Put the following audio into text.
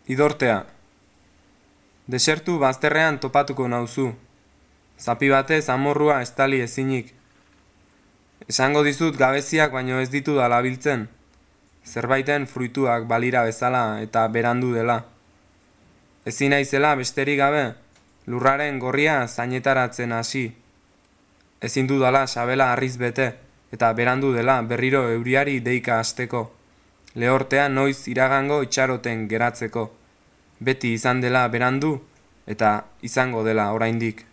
Idortea. Desertu bazterrean topatuko nauzu. Zapi batez amorrua estali ezinik. Esango dizut gabeziak baino ez ditu dalabiltzen. Zerbaiten fruituak balira bezala eta berandu dela. Ezin naizela besterik gabe, lurraren gorria zainetaratzen hasi. Ezin dudala sabela harriz bete, eta berandu dela berriro euriari deika hasteko. Lehortea noiz iragango itxaroten geratzeko. Beti izan dela berandu, eta izango dela oraindik.